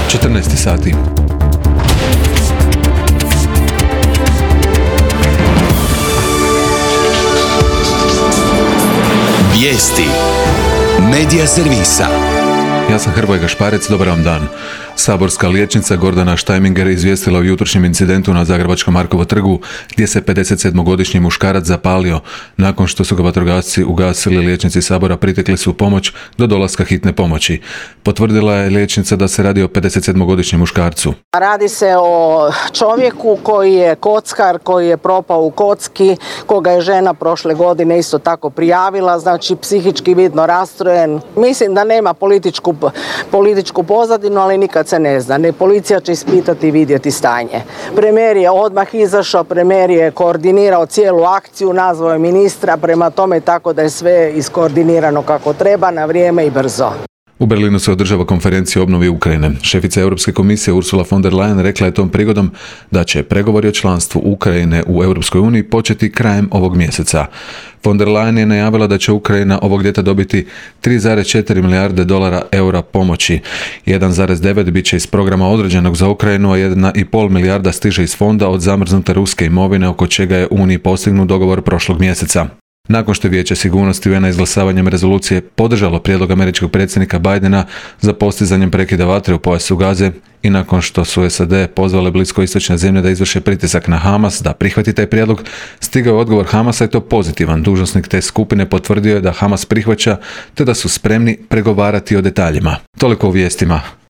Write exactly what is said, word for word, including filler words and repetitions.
četrnaest sati. Vijesti Medija servisa. Ja sam Hrvoje Gašparec, dobar vam dan. Saborska liječnica Gordana Štajminger izvijestila o jutrošnjem incidentu na Zagrebačkom Markovom trgu gdje se pedesetsedmogodišnji muškarac zapalio. Nakon što su ga vatrogasci ugasili, liječnici Sabora pritekli su u pomoć do dolaska hitne pomoći. Potvrdila je liječnica da se radi o pedesetsedmogodišnjem muškarcu. Radi se o čovjeku koji je kockar, koji je propao u kocki, koga je žena prošle godine isto tako prijavila, znači psihički vidno rastrojen. Mislim da nema političku, političku pozadinu, ali nikad se ne zna. Ne, policija će ispitati i vidjeti stanje. Premijer je odmah izašao, premijer je koordinirao cijelu akciju, nazvao je ministra, prema tome tako da je sve iskoordinirano kako treba, na vrijeme i brzo. U Berlinu se održava konferencija o obnovi Ukrajine. Šefica Europske komisije Ursula von der Leyen rekla je tom prigodom da će pregovori o članstvu Ukrajine u Europskoj uniji početi krajem ovog mjeseca. Von der Leyen je najavila da će Ukrajina ovog ljeta dobiti tri zarez četiri milijarde dolara eura pomoći. jedan zarez devet bit će iz programa određenog za Ukrajinu, a jedna zarez pet milijarda stiže iz fonda od zamrznute ruske imovine, oko čega je Uniji postignut dogovor prošlog mjeseca. Nakon što je Vijeće sigurnosti U N-a izglasavanjem rezolucije podržalo prijedlog američkog predsjednika Bidena za postizanjem prekida vatre u pojasu Gaze i nakon što su S A D pozvale bliskoistočne zemlje da izvrše pritisak na Hamas da prihvati taj prijedlog, stigao je odgovor Hamasa i to pozitivan. Dužnosnik te skupine potvrdio je da Hamas prihvaća te da su spremni pregovarati o detaljima. Toliko u vijestima.